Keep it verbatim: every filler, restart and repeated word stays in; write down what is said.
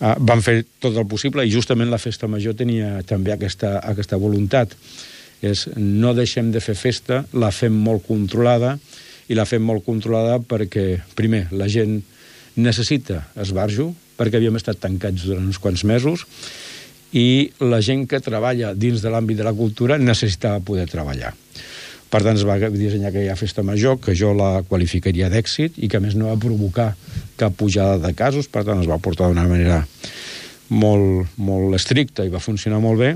Uh, vam fer tot el possible i justament la festa major tenia també aquesta, aquesta voluntat. És no deixem de fer festa, la fem molt controlada i la fem molt controlada perquè, primer, la gent necessita esbarjo, perquè havíem estat tancats durant uns quants mesos i la gent que treballa dins de l'àmbit de la cultura necessitava poder treballar. Per tant, es va dissenyar aquella festa major, que jo la qualificaria d'èxit i que, a més, no va provocar cap pujada de casos, per tant, es va portar d'una manera molt, molt estricta i va funcionar molt bé.